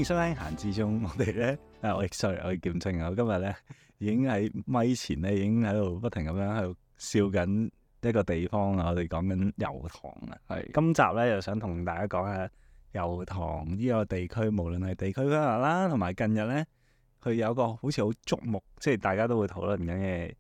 迎收聽閒置中，我哋咧我係劍青啊！我今日咧已經喺咪前咧已經喺度不停咁樣喺度笑緊一個地方啊！我哋講緊油塘啊，係今集咧又想同大家講下油塘呢個地區，無論係地區規劃啦，同埋近日咧佢有個好似好矚目，即係大家都會討論緊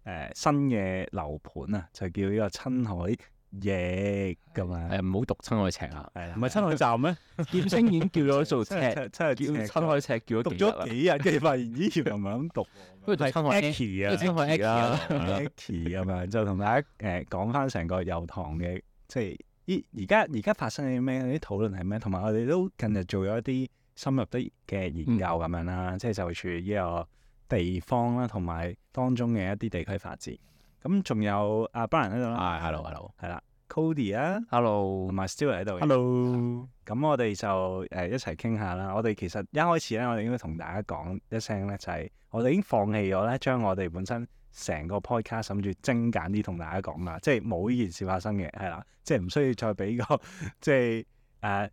嘅新嘅樓盤啊，就叫呢個親海翼咁啊！唔好讀親海尺啊！係啦，唔係親海站咩？劍青已經叫咗做尺，真係叫親海尺叫咗讀咗幾日，跟住發現咦原來唔係咁讀，不如讀親海 Aki 啊，親海 Aki 啦。 Aki 咁樣就同大家講翻成個油塘嘅，即係而家發生緊啲咩？啲討論係咩？同埋我哋都近日做咗一啲深入啲嘅研究咁樣啦，即係就住呢個地方啦，同埋當中嘅一啲地區發展。咁仲有阿 Brian 喺度啦，係，hello，係啦 ，Cody 啊 hello，同埋 Stewart 喺度嘅。 Hello，咁我哋就一齊傾下啦。我哋其實一開始咧，我哋應該同大家講一聲咧，就係我哋已經放棄咗咧，將我哋本身成個 podcast 諗住精簡啲同大家講啦，即係冇呢件事發生嘅，係啦，即係唔需要再俾個即係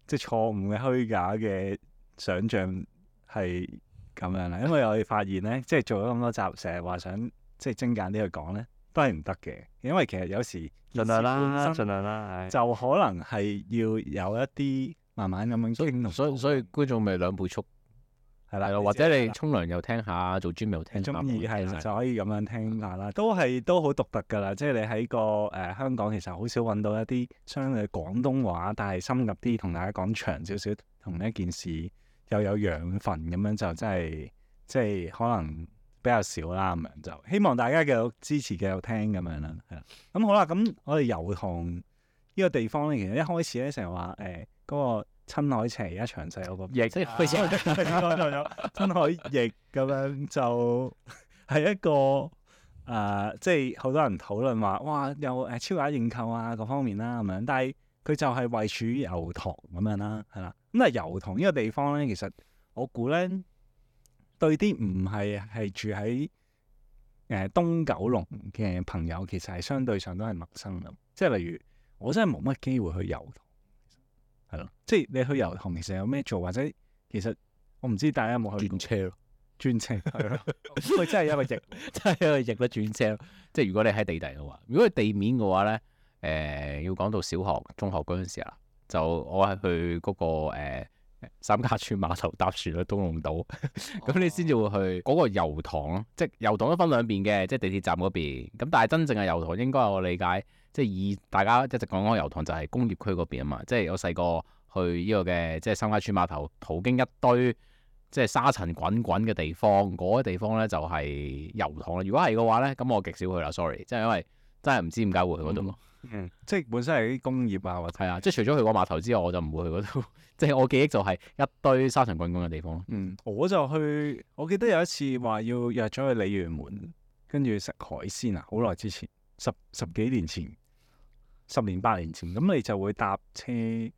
即係錯誤嘅虛假嘅想像係咁樣啦。因為我哋發現咧，即係做咗咁多集，成日話想即係精簡啲去講咧，都係唔得嘅，因為其實有時盡量啦，盡量啦，就可能係要有一啲慢慢咁樣傾同，所以觀眾咪兩倍速係啦，或者你沖涼又聽下，做 gym 又聽下，中意係就可以咁樣聽下啦，都好獨特㗎啦。即係你喺個香港其實好少揾到一啲相對廣東話，但係深入啲同大家講長少少同一件事又有養分咁樣，就真係即係可能比較少啦咁樣，就希望大家繼續支持繼續聽咁樣啦，係啦。咁好啦，咁我哋油塘呢個地方咧，其實一開始咧成日話嗰個親海尺而家詳細有個翼，即係開始親海翼咁樣就係一個即係好多人討論話，哇，有超額認購啊各方面啦咁樣，但係佢就係位處於油塘咁樣啦，係啦。咁但係油塘呢個地方咧，其實我估咧對啲唔係住喺東九龍嘅朋友，其實係相對上都係陌生嘅。即係例如我真係冇乜機會去油塘。係咯，即係你去油塘其實有咩做，或者其實我唔知大家有冇去過轉車咯，轉車係咯，佢真係一個翼，真係一個翼啦，轉車咯。即係如果你喺地底嘅話，如果係地面嘅話咧，要講到小學、中學嗰陣時啊，就我係去嗰個三家村碼頭搭船去東龍島，咁你先至會去嗰個油塘咯。即係油塘都分兩邊嘅，即係地鐵站嗰邊。咁但係真正嘅油塘應該我理解，即係以大家一直講嗰個油塘就係工業區嗰邊啊嘛。即係我細個去呢個嘅即係三家村碼頭，途經一堆即係沙塵滾滾嘅地方，嗰啲地方咧就係油塘啦。如果係嘅話咧，咁我極少去啦，sorry，即係因為真係唔知點解會去嗰度咯。即係本身係啲工業啊，或者係啊，即係除咗去過碼頭之外，我就唔會去嗰度。即係我記憶就係一堆沙塵滾滾嘅地方咯。我就去，我記得有一次話要約咗去鯉魚門，跟住食海鮮啊，好耐之前，十幾年前，10年8年前，咁你就會搭車，即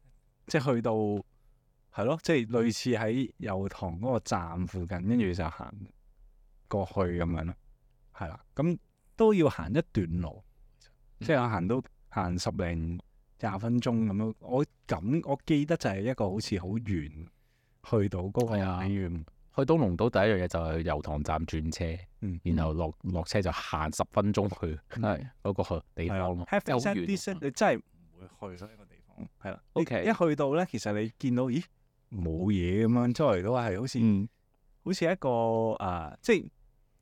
係去到係咯，即係類似喺油塘嗰個站附近，跟住就行過去咁樣咯，係啦，咁都要行一段路，即係我行10零20分鐘咁樣。我記得就係一個好似好遠去到嗰個鯉魚。去東龍島第一樣嘢就係油塘站轉車，然後落車就行10分鐘去嗰個地方咯。Have said this，你真係唔會去所以個地方係啦。OK，一去到咧，其實你見到咦冇嘢咁樣，周圍都係好似一個即係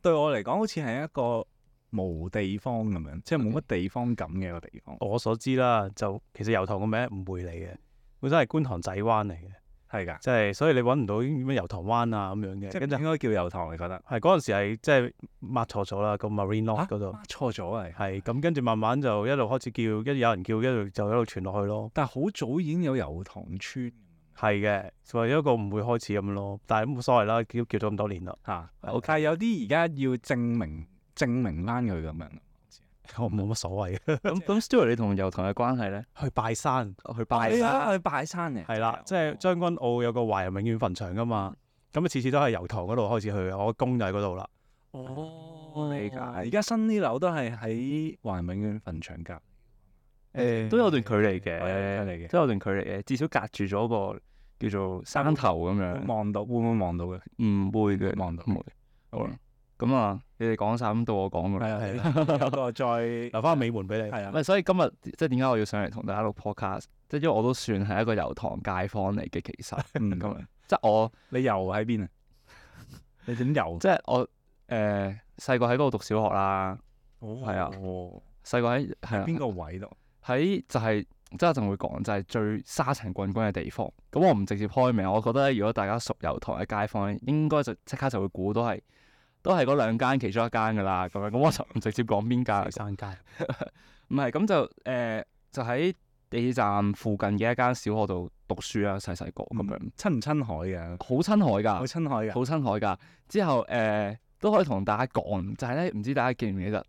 對我嚟講，好似係一個冇地方咁樣，即係冇乜地方感嘅一個地方。我所知啦，就其實油塘個名誤會嚟嘅，本身係觀塘仔灣嚟嘅，係㗎，即係所以你揾唔到咩油塘灣啊咁樣嘅，即係應該叫油塘，你覺得？係嗰陣時係即係抹錯咗啦，個 Marine Lock 嗰度錯咗係咁，跟住慢慢就一路開始叫，有人叫，一路就一路傳落去咯。但係好早已經有油塘村，係嘅，就係一個誤會開始咁咯。但係冇所謂啦，叫咗咁多年啦嚇。但係有啲而家要證明翻佢咁樣。我冇乜所謂。咁 Stewart 你同油塘嘅關係咧？去拜山，去拜山嘅，係啦，即係將軍澳有個華人永遠墳場噶嘛，咁啊次次都係油塘嗰度開始去，我公就喺嗰度啦。理解。而家新啲樓都係喺華人永遠墳場隔，都有段距離嘅，都有段距離嘅，至少隔住咗個叫做山頭咁樣。望到會唔會望到嘅？唔會嘅，望到唔會。好啦，咁啊，你哋講晒，咁到我講㗎啦。係啊，有個再留翻個尾門俾你。係啊唔，係，所以今日即係點解我要上嚟同大家錄 podcast？即係因為我都算係一個油塘街坊嚟嘅，其實嗯咁樣。即係我你游喺邊啊？你點游？即係我細個喺嗰度讀小學啦，哦係啊細個喺係啊邊個位度？喺就係即係一陣會講，就係最沙塵滾滾嘅地方。咁我唔直接開名，我覺得如果大家熟油塘嘅街坊咧，應該就即刻就會估到係嗰兩間其中一間㗎啦。咁樣咁我就唔直接講邊間。山街。唔係咁就喺地鐵站附近嘅一間小學度讀書啦，細細個咁樣，親唔親海嘅？好親海㗎，好親海嘅。好親海㗎。之後都可以同大家講，就係咧，唔知大家記唔記得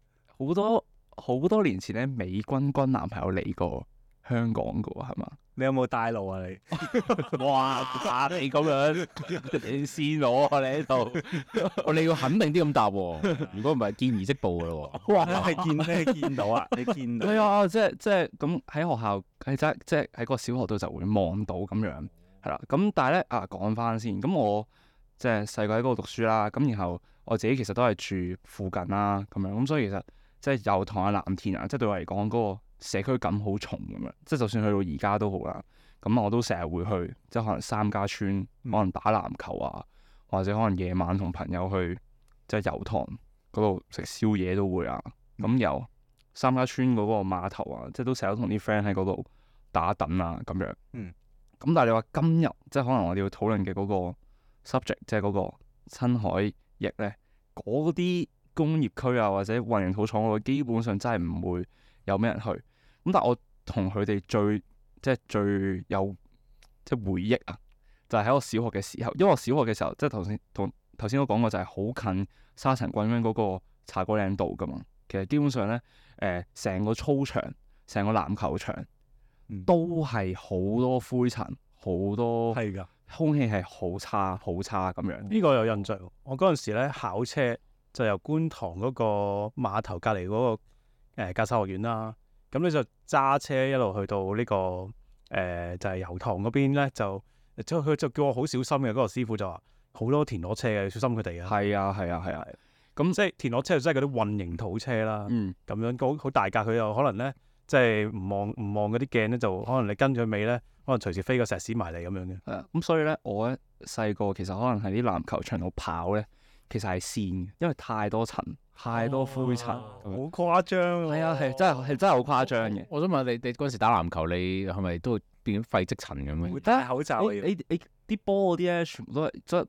好多年前咧，美君男朋友嚟過香港㗎喎，係嘛？你有冇帶路啊？你哇！你咁樣，你線我啊！你喺度，你要肯定啲咁答喎。如果唔係，見而即報噶咯喎。哇！你見到啊？你見到係啊，即係咁喺學校即係喺個小學度就會望到咁樣，係啦。咁但係咧講翻先，咁我即係細個喺嗰度讀書啦，咁然後我自己其實都係住附近啦，咁樣咁所以其實即係油塘啊、藍田啊，即係對我嚟講嗰個社區感好重咁樣，即係就算去到而家都好啦。咁我都成日會去，即係可能三家村，可能打籃球啊，或者可能夜晚同朋友去即係油塘嗰度食宵夜都會啊。咁由三家村嗰個碼頭啊，即係都成日同啲 friend 喺嗰度打躉啊咁樣。咁但係你話今日即係可能我哋要討論嘅嗰個 subject，即係嗰個親海翼咧，嗰啲工業區啊或者混凝土廠嗰度，基本上真係唔會有咩人去。咁但係我同佢哋最有即係回憶啊，就係喺我小學嘅時候，因為我小學嘅時候即係頭先都講過，就係好近沙塵滾滾嗰個茶果嶺道噶嘛。其實基本上咧，成個操場、成個籃球場都係好多灰塵，好多係㗎，空氣係好差咁樣。呢個有印象。我嗰陣時咧考車就由觀塘嗰個碼頭隔離嗰個駕駛學院啦。咁你就揸車一路去到呢、個就係油塘嗰邊咧，佢就叫我好小心嘅。嗰個師傅就話好多田螺車嘅，要小心佢哋啊。係啊，咁即係田螺車就真係嗰啲混凝土車啦。嗯，咁樣好大架，佢又可能咧即係唔望嗰啲鏡咧，就可能你跟佢尾咧，可能隨時飛個石屎埋嚟咁樣嘅。係啊。咁所以咧，我咧細個其實可能喺啲籃球場度跑咧，其實係跣嘅，因為太多塵、太多灰塵。好誇張喎。係啊，係真係好誇張嘅。我想問你嗰陣時打籃球，你係咪都變咗廢積塵咁樣？會戴口罩啊要你啲波嗰啲咧，全部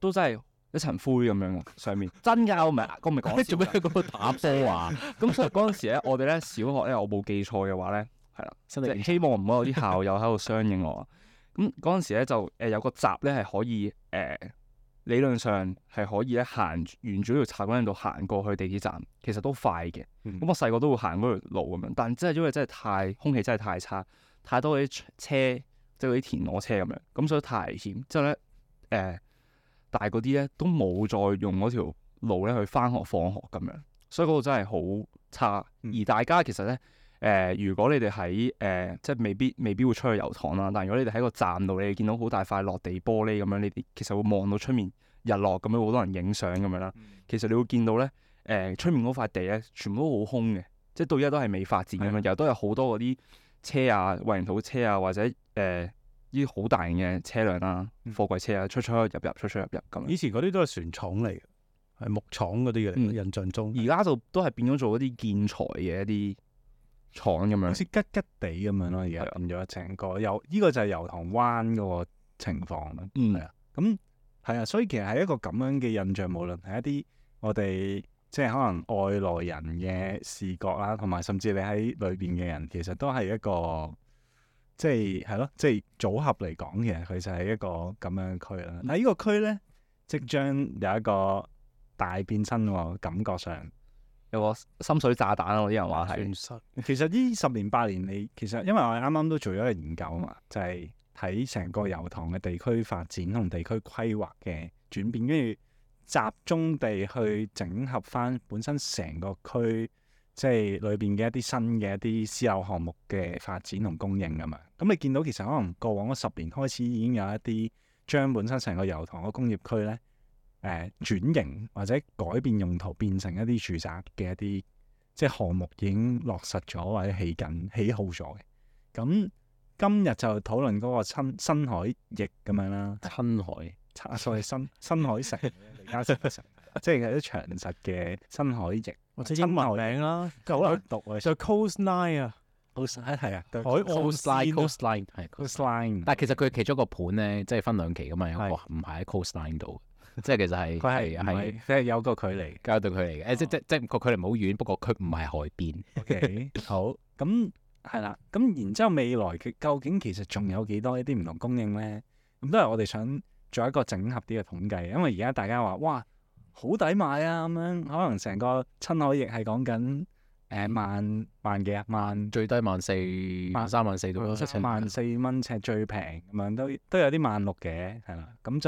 都真係一層灰咁樣嘅上面。真㗎，我唔係講笑做咩喺嗰度打波啊？咁所以嗰陣時咧，我哋咧小學咧，我冇記錯嘅話咧，係啦，即係身體希望唔好有啲校友喺度相應我啊。咁嗰陣時咧就有個閘咧係可以理論上係可以咧行沿住呢條茶果嶺道行過去地鐵站，其實都快嘅。咁我細個都會行嗰條路咁樣，但真係因為真係空氣真係太差，太多嗰啲車即係嗰啲田螺車咁樣，咁所以太危險。之後咧大嗰啲咧都冇再用嗰條路咧去返學放學咁樣，所以嗰度真係好差。而大家其實咧如果你哋喺即係未必會出去油塘啦，但係如果你哋喺個站度，你哋見到好大塊落地玻璃咁樣，你哋其實會望到出面日落咁樣，好多人影相咁樣啦。其實你會見到咧出面嗰塊地咧，全部都好空嘅，即係到而家都係未發展咁樣，又都有好多嗰啲車啊、混凝土車啊，或者呢啲好大型嘅車輛啦、貨櫃車啊，出入入咁樣。以前嗰啲都係船廠嚟嘅，係木廠嗰啲嘅，印象中。而家就都係變咗做一啲建材嘅一啲廠咁樣，好似吉吉地咁樣咯，而家變咗成個呢個就係油塘灣嗰個情況啦。係啊，咁係啊，所以其實係一個咁樣嘅印象，無論係一啲我哋即係可能外來人嘅視覺啦，同埋甚至你喺裏邊嘅人，其實都係一個即係咯，即係組合嚟講，其實佢就係一個咁樣嘅區啦。但係呢個區咧，即將有一個大變身喎，感覺上。有個深水炸彈啊！啲人話係，其實呢10年8年，你其實因為我哋啱啱都做咗一個研究啊嘛，就係睇成個油塘嘅地區發展同地區規劃嘅轉變，跟住集中地去整合翻本身成個區，即係裏邊嘅一啲新嘅一啲私有項目嘅發展同供應咁樣。咁你見到其實可能過往嗰10年開始已經有一啲將本身成個油塘個工業區咧轉型或者改變用途，變成一啲住宅嘅一啲即係項目已經落實咗或者起好咗嘅。咁今日就討論嗰個新海翼咁樣啦，親海所謂新海誠李嘉誠嘅誠，即係啲長實嘅新海翼或者英文名啦，好難讀啊，就 Coastline 啊，係啊，海岸線 coastline 係 coastline，但係其實佢其中一個盤咧，即係分兩期噶嘛，有個係唔係喺 coastline 度，即係其實係佢係即係有個距離。交對距離嘅，即個距離唔好遠，不過佢唔係海邊。OK，好，咁係啦，咁然之後未來嘅究竟其實仲有幾多一啲唔同供應咧？咁都係我哋想做一個整合啲嘅統計，因為而家大家話哇好抵買啊咁樣，可能成個親海翼係講緊萬幾啊萬最低14,000、13,400到140,000尺最平咁樣，都有啲160,000嘅係啦，咁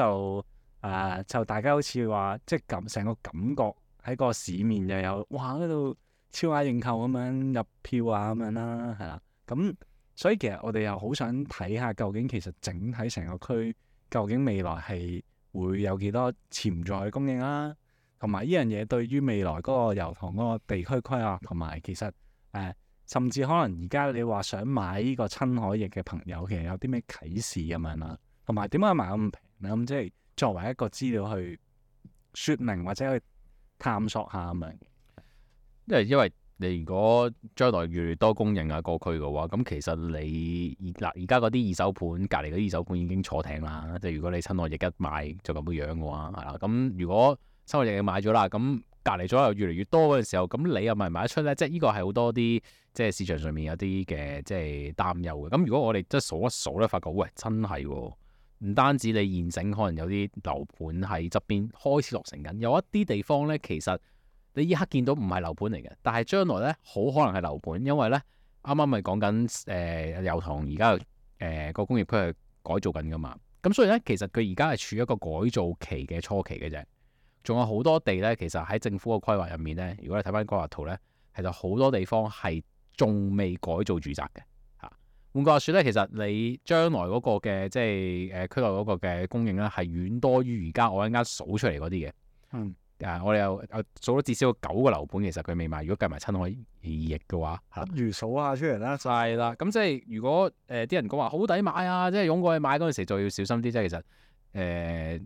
就大家好似話即係咁成個感覺喺個市面又有哇嗰度超額認購咁樣入票啊咁樣啦，係啦，咁所以其實我哋又好想睇下究竟其實整體成個區究竟未來係會有幾多潛在嘅供應啦，同埋呢樣嘢對於未來嗰個油塘嗰個地區規劃，同埋其實甚至可能而家你話想買呢個親海翼嘅朋友，其實有啲咩啟示咁樣啦，同埋點解買咁平咧？咁即係作為一個資料去説明或者去探索下咁樣。因為你如果將來越嚟越多供應啊個區嘅話，咁其實你而家嗰啲二手盤隔離嗰啲二手盤已經坐艇啦。即係如果你親海翼一買就咁樣嘅話，係啦。咁如果親海翼買咗啦，咁隔離咗又越嚟越多嗰陣時候，咁你又咪買得出咧？即係呢個係好多啲即係市場上面有啲嘅即係擔憂嘅。咁如果我哋即係數一數咧，發覺喂真係喎，唔單止你現成可能有啲樓盤喺側邊開始落成緊，有一啲地方咧其實你依刻見到唔係樓盤嚟嘅，但係將來咧好可能係樓盤，因為咧啱啱咪講緊油塘而家個工業區係改造緊噶嘛。咁所以咧其實佢而家係處於一個改造期嘅初期嘅啫。仲有好多地咧，其實喺政府嘅規劃入面咧，如果你睇翻規劃圖咧，其實好多地方係仲未改造住宅嘅嚇。換句話説咧，其實你將來嗰個嘅即係區內嗰個嘅供應咧，係遠多於而家我一陣間數出嚟嗰啲嘅。我哋又數咗至少9個樓盤，其實佢未賣。如果計埋親海翼嘅話，不如數下出嚟啦。就係啦。咁即係如果啲人講話好抵買啊，即係湧過去買嗰陣時就要小心啲。即係其實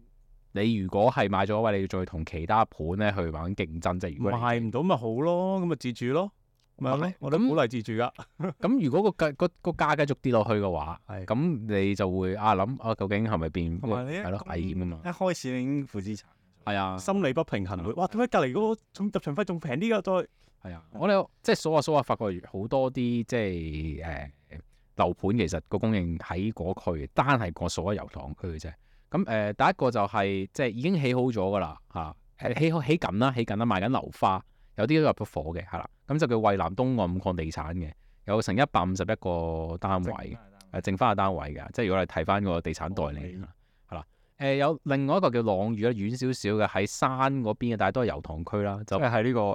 你如果係買咗位，你要再同其他盤咧去玩競爭，即係如果賣唔到咪好咯，咁咪自住咯，咪係咯，我都鼓勵自住噶。咁如果個價繼續跌落去嘅話，係咁你就會諗究竟係咪變同埋你係咯危險啊嘛？一開始已經負資產。係啊，心理不平衡會，哇！點解隔離嗰個仲入場費仲平啲㗎？再係啊，我哋即係數下，發覺好多啲即係樓盤其實個供應喺嗰區，單係個數喺油塘區嘅啫。咁第一個就係即係已經起好咗㗎啦嚇，起緊啦，賣緊樓花，有啲都入咗伙嘅係啦。咁就叫蔚藍東岸5礦地產嘅，有成151個單位，剩翻個單位嘅。即係如果你睇翻個地產代理係啦，有另外一個叫朗嶼咧，遠少少嘅喺山嗰邊嘅，但係都係油塘區啦，就即係喺呢個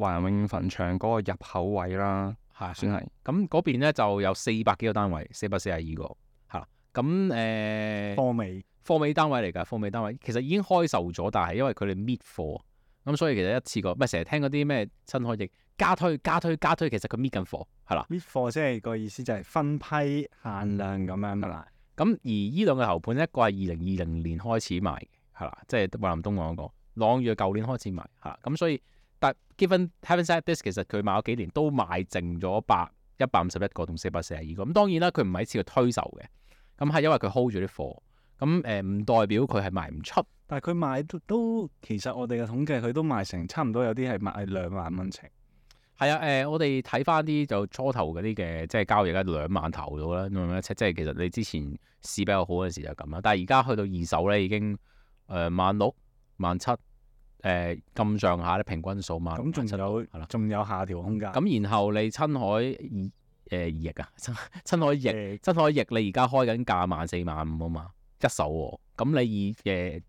華人永遠墳場嗰個入口位啦，係算係。咁嗰邊咧就有400幾個單位，442個係啦。咁貨尾單位嚟㗎，貨尾單位其實已經開售咗，但係因為佢哋搣貨，咁所以其實一次過，唔係成日聽嗰啲咩親海翼加推，其實佢搣緊貨係啦。搣貨即係個意思就係分批限量咁樣啦。咁而呢兩個樓盤，一個係2020年開始賣嘅，係啦，即係蔚藍東岸嗰個，朗嶼舊年開始賣係啦。咁所以但 having said this，其實佢賣咗幾年都賣剩咗151個同442個。咁當然啦，佢唔係一次過推售嘅，咁係因為佢 hold 住啲貨。咁唔代表佢係賣唔出，但係佢賣都其實我哋嘅統計佢都賣成差唔多，有啲係賣2萬蚊尺。係啊，我哋睇翻啲就初頭嗰啲嘅即係交易咧2萬頭到啦，2萬一尺，即係其實你之前市比較好嗰陣時就咁啦。但係而家去到二手咧已經16,000、17,000咁上下咧，平均數萬。咁仲有下調空間。咁然後你親海翼啊，親海翼你而家開緊價14,000、15,000啊嘛。一手喎，咁你以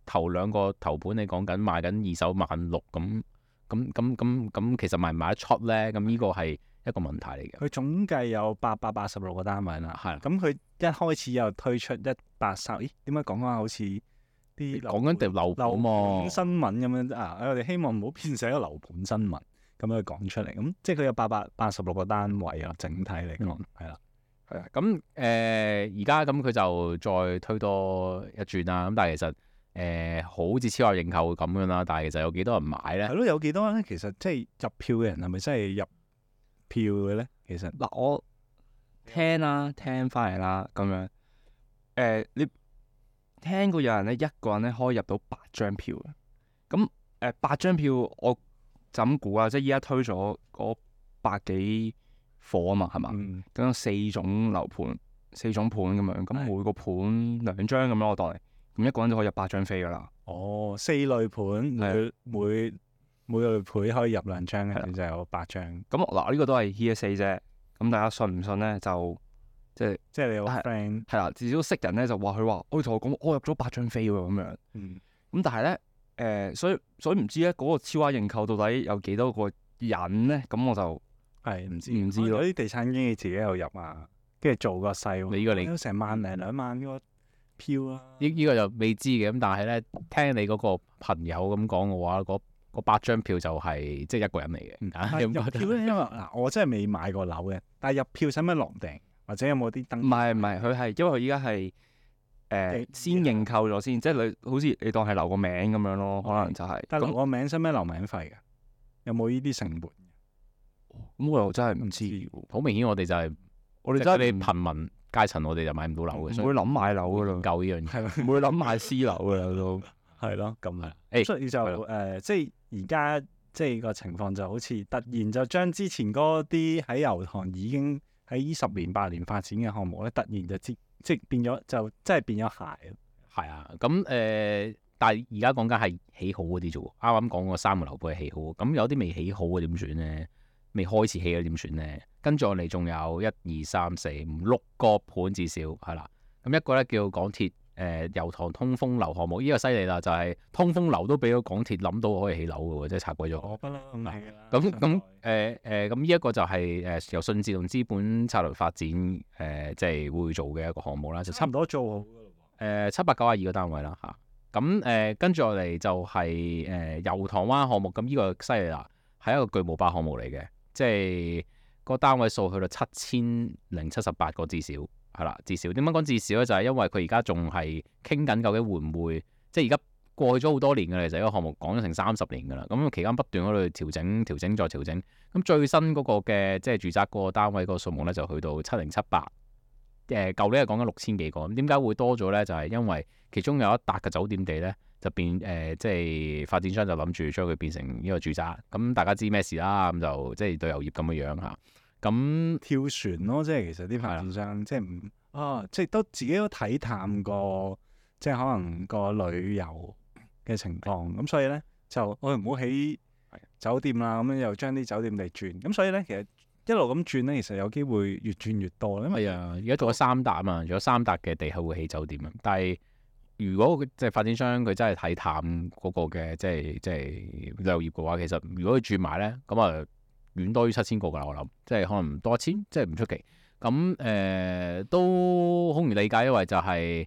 頭兩個頭盤你講緊賣緊二手16,000咁其實賣唔賣得出咧？咁呢個係一個問題嚟嘅。佢總計有886個單位啦，係啦咁佢一開始又推出183，咦？點解講翻好似啲講緊條樓盤樓喎盤新聞咁樣啊？我哋希望唔好變成一個樓盤新聞咁樣講出嚟。咁即係佢有886個單位啊，整體嚟講係啦。係啊，咁而家咁佢就再推多一轉啦。咁但係其實好似超額認購咁樣啦，但係其實有幾多人買咧係？咯，有幾多咧？其實即係入票嘅人係咪真係入票嘅咧？其實嗱，我聽翻嚟啦，咁樣你聽過有人咧一個人咧可以入到8張票嘅，咁8張票我就咁估啦，即係依家推咗嗰百幾伙啊嘛，係嘛？咁有4種樓盤、4種盤咁樣，咁每個盤2張咁樣，我當嚟，咁一個人就可以入8張飛噶啦。哦，4類盤，每類盤可以入2張嘅，就有8張。咁嗱，呢個都係 hearsay 啫。咁大家信唔信咧？就即係你有 friend 係啦，至少識人咧就話佢話，我同我講，我入咗8張飛喎咁樣。咁但係咧所以唔知咧嗰個超額認購到底有幾多個人咧？咁我就係唔知咯。有啲地產經紀自己又入啊，跟住做個細喎。你呢個都成1零2萬個票啊！呢個就未知嘅。咁但係咧，聽你嗰個朋友咁講嘅話，嗰8張票就係即係一個人嚟嘅。入票咧，因為嗱，我真係未買過樓嘅，但係入票使唔使落訂，或者有冇啲登？唔係，佢係因為佢依家係先認購咗先，即係你好似你當係留個名咁樣咯，可能就係。但係留個名使唔使留名費㗎？有冇呢啲成本？咁我又真係唔知喎。好明顯，我哋就係我哋真係啲貧民階層，我哋就買唔到樓嘅，唔會諗買樓噶啦，夠呢樣嘢。係唔會諗買私樓噶啦都。係咯，咁啊，誒所以就即係而家即係個情況就好似突然就將之前嗰啲喺油塘已經喺呢10年8年發展嘅項目咧，突然就即係變咗就真係變咗鞋。係啊，咁但係而家講緊係起好嗰啲啫喎。啱啱講個3個樓盤係起好，咁有啲未起好嘅點算咧？未開始起嘅點算咧？跟住我哋仲有1、2、3、4、5、6個盤至少係啦。咁一個咧叫港鐵油塘通風樓項目，呢個犀利啦，就係通風樓都俾咗港鐵諗到可以起樓嘅喎，即係拆鬼咗。我不嬲咁係㗎啦。咁呢一個就係由信智同資本策略發展即係會做嘅一個項目啦，就差唔多做好㗎咯。 792個單位啦嚇。咁跟住落嚟就係油塘灣項目，咁呢個犀利啦，係一個巨無霸項目嚟嘅，即係個單位數去到7078個至少。係啦，至少點樣講至少咧？就係因為佢而家仲係傾緊，究竟會唔會即係而家過去咗好多年㗎啦。其實呢個項目講咗成30年㗎啦。咁期間不斷喺度調整、再調整。咁最新嗰個嘅即係住宅嗰個單位嗰個數目咧，就去到7078。舊年係講緊6000幾個。咁點解會多咗咧？就係因為其中有一笪嘅酒店地咧，就變即係發展商就諗住將佢變成呢個住宅。咁大家知咩事啦？咁就即係旅遊業咁嘅樣嚇。咁跳船咯，即係其實啲發展商即係即係都自己都睇淡過，即係可能個旅遊嘅情況。咁所以咧就我哋唔好起酒店啦，咁樣又將啲酒店地轉。咁所以咧其實一路咁轉咧，其實有機會越轉越多。因為而家做咗3笪啊嘛，做咗3笪嘅地係會起酒店啊。但係如果即係發展商佢真係睇淡嗰個嘅即係旅遊業嘅話，其實如果佢轉埋咧，咁啊〜遠多於7000個㗎啦，我諗，即係可能多1000，即係唔出奇。咁都好容易理解，因為就係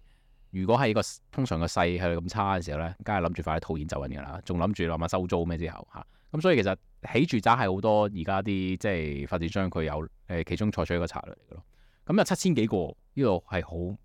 如果係個通常個勢係咁差嘅時候咧，梗係諗住快啲套現走人㗎啦，仲諗住諗下收租咩之後嚇。咁所以其實起住宅係好多而家啲即係發展商佢有其中採取一個策略嚟嘅咯。咁有7000幾個，呢度係好唔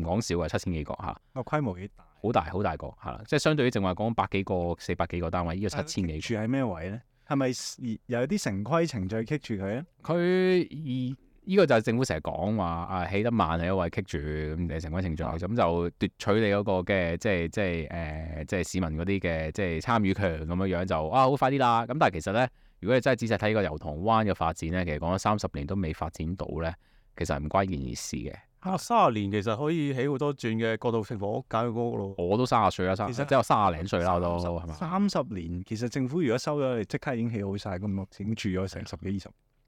講少嘅7000幾個嚇。個規模幾大？好大個係啦，即係相對於正話講100幾個、400幾個單位，呢個7000幾個。住喺咩位咧？係咪有啲城規程序棘住佢咧？佢呢個就係政府成日講話起得慢係因為棘住咁嘅城規程序，咁就奪取你嗰個嘅即係市民嗰啲嘅即係參與權咁樣就好快啲啦。咁但係其實咧，如果你真係仔細睇個油塘灣嘅發展咧，其實講咗30年都未發展到咧，其實唔關件事嘅。 30年其實可以起好多轉嘅過渡性房屋簡約公屋咯。我都30歲啦，其實即係我30零歲啦，我都係嘛？30年其實政府如果收咗，你即刻已經起好晒，咁已經住咗成10幾20。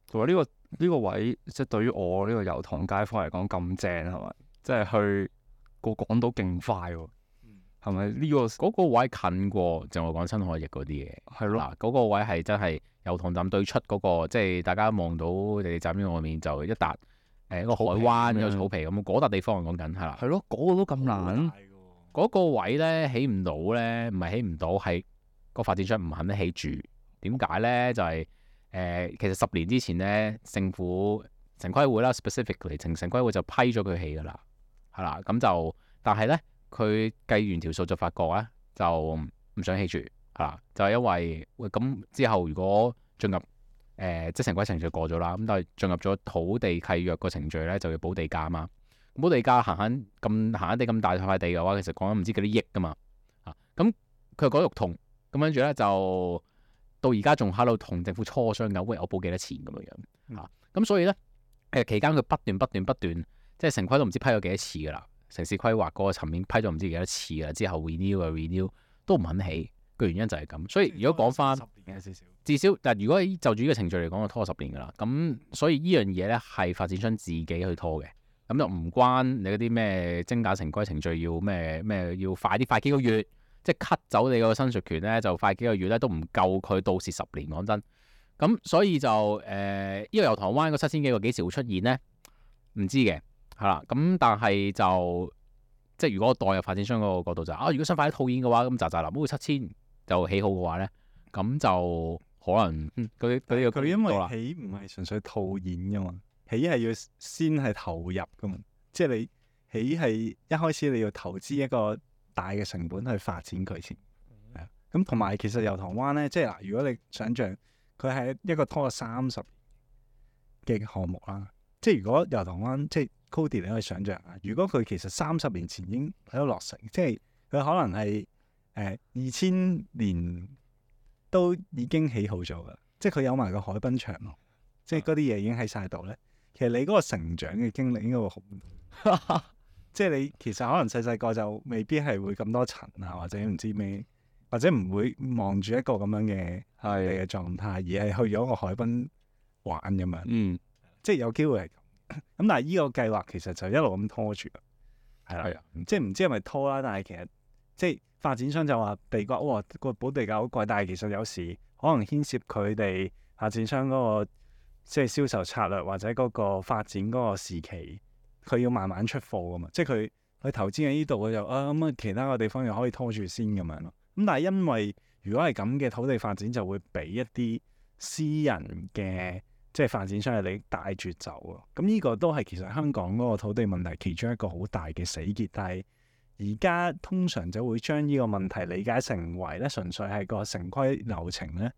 同埋呢個位，即係對於我呢個油塘街坊嚟講咁正係咪？即係去過港島勁快喎。係咪呢個嗰個位近過就我講新海翼嗰啲嘢。係咯？嗱，嗰個位係真係油塘站對出嗰個，即係大家望到地鐵站呢外面就一笪一個海灣有草皮咁，嗰笪地方我講緊係啦。係咯，嗰個都咁難。嗰個位咧起唔到咧，唔係起唔到，係個發展商唔肯起住。點解咧？就係、其實10年之前咧，政府城規會啦 ，specifically 城規會就批咗佢起㗎啦，係啦。咁就但係咧，佢計完條數就發覺咧，就唔想起住，係啦。就係因為咁之後如果進入即係城規程序過咗啦，咁但係進入咗土地契約個程序咧，就要補地價啊嘛。補地價行地咁大塊地嘅話，其實講緊唔知幾多億噶嘛，咁佢又講肉痛，咁跟住咧就到而家仲喺度同政府磋商緊，喂，我補幾多錢咁樣咁所以咧期間佢不斷，即係城規都唔知批咗幾多次噶啦，城市規劃嗰個層面批咗唔知幾多次噶啦，之後 renew 都唔肯起，個原因就係咁。所以如果講翻至少，但如果就住呢個程序嚟講，就拖10年噶啦。咁所以呢樣嘢咧係發展商自己去拖嘅。咁就唔關你嗰啲咩精簡城規程序要咩要快幾個月，即係 cut 走你個申述權咧，就快幾個月咧都唔夠佢到時10年講真。咁所以就呢個油塘灣嗰7000幾個幾時會出現咧？唔知嘅係啦。咁但係就即係如果我代入發展商嗰個角度就如果想快啲套現嘅話，咁咋臨冇7000就起好嘅話咧，咁就可能嗰啲佢因為起唔係純粹套現噶嘛。起係要先係投入噶嘛，即係你起係一開始你要投資一個大嘅成本去發展佢先，係啊。咁同埋其實油塘灣咧，即係嗱，如果你想象佢係一個拖咗30嘅項目啦，即係如果油塘灣即係 Cody 你可以想象啊，如果佢其實30年前已經喺度落成，即係佢可能係2000年都已經起好咗噶，即係佢有埋個海濱長廊，即係嗰啲嘢已經喺晒度咧。其實你嗰個成長嘅經歷應該會好，即係你其實可能細個就未必係會咁多塵啊，或者唔知咩，或者唔會望住一個咁樣嘅嘅狀態，而係去咗個海濱玩咁樣。即係有機會係咁。咁但係呢個計劃其實就一路咁拖住，係啦，即係唔知係咪拖啦，但係其實即係發展商就話地價，哇個補地價好貴，但係其實有時可能牽涉佢哋發展商嗰個。即係銷售策略或者嗰個發展嗰個時期，佢要慢慢出貨噶嘛。即係佢投資喺呢度，佢就咁其他個地方又可以拖住先咁樣咯。咁但係因為如果係咁嘅土地發展，就會俾一啲私人嘅即係發展商嘅利益帶住走咯。咁呢個都係其實香港嗰個土地問題其中一個好大嘅死結。但係而家通常就會將呢個問題理解成為咧，純粹係個城規流程咧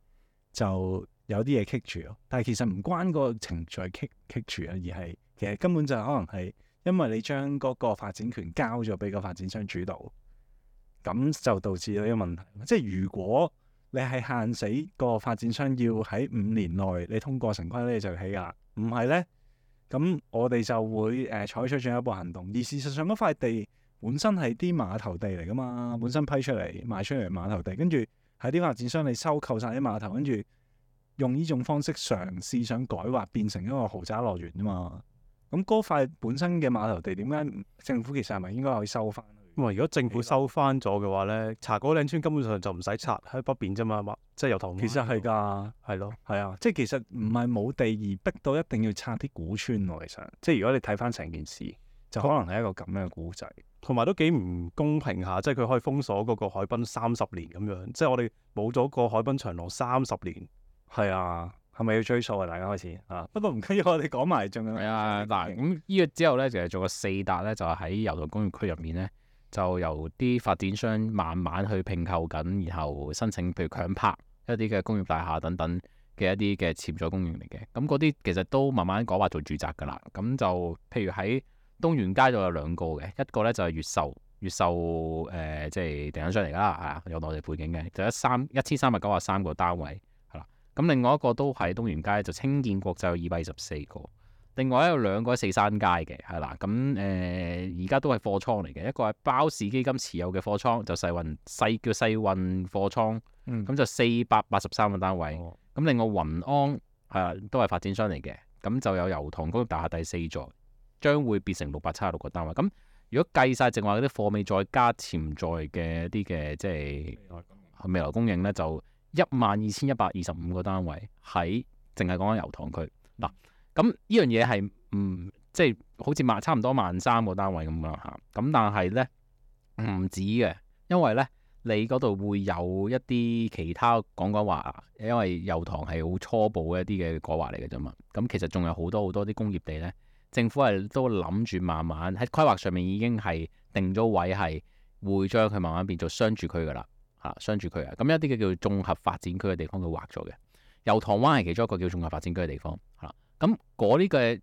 就有啲嘢棘住咯，但係其實唔關個程序棘住啊，而係其實根本就可能係因為你將嗰個發展權交咗俾個發展商主導，咁就導致咗呢個問題。即係如果你係限死個發展商要喺5年內你通過城規咧就起㗎，唔係咧，咁我哋就會採取進一步行動。而事實上嗰塊地本身係啲碼頭地嚟㗎嘛，本身批出嚟賣出嚟碼頭地，跟住喺啲發展商你收購晒啲碼頭，跟住用呢種方式嘗試想改劃變成一個豪宅樂園啫嘛。咁嗰塊本身嘅碼頭地點解政府其實係咪應該可以收翻？如果政府收翻咗嘅話咧，茶果嶺村根本上就唔使拆喺北邊啫嘛，即係油塘灣。其實係㗎，係咯，係啊，即係其實唔係冇地而逼到一定要拆啲古村喎。其實即係如果你睇翻成件事，就可能係一個咁樣嘅故仔，同埋都幾唔公平下，即係佢可以封鎖嗰個海濱30年咁樣，即係我哋冇咗個海濱長廊30年。係啊，係咪要追數啊？大家開始啊，不過唔緊要，我哋講埋仲有。係啊，嗱咁呢個之後咧，就係做個4笪咧，就喺油塘工業區入面咧，就由啲發展商慢慢去併購緊，然後申請譬如強拍一啲嘅工業大廈等等嘅一啲嘅潛在供應嚟嘅。咁嗰啲其實都慢慢改劃做住宅㗎啦。咁就譬如喺東源街度有2個嘅，一個咧就係越秀即係地產商嚟㗎啦，係啊，有內地背景嘅，就1393個單位。咁另外一個都喺東源街，就青建國就有224個，另外有2個喺四山街嘅，係啦。咁而家都係貨倉嚟嘅，一個係包氏基金持有嘅貨倉，就叫世運貨倉，咁就483個單位。咁另外雲安係都係發展商嚟嘅，咁就有油塘工業大廈第4座，將會變成676個單位。咁如果計晒淨話嗰啲貨尾再加潛在嘅一啲嘅即係未來供應咧，就12,125個單位喺淨係講緊油塘區嗱。咁呢樣嘢係即係好似差唔多13,000個單位咁樣嚇。咁但係咧唔止嘅，因為咧你嗰度會有一啲其他講話，因為油塘係好初步嘅一啲嘅改劃嚟嘅啫嘛。咁其實仲有好多啲工業地咧，政府係都諗住慢慢喺規劃上面已經係定咗位，係會將佢慢慢變做商住區噶啦嚇，商住區啊。咁一啲嘅叫綜合發展區嘅地方佢劃咗嘅，油塘灣係其中一個叫綜合發展區嘅地方嚇。咁嗰啲嘅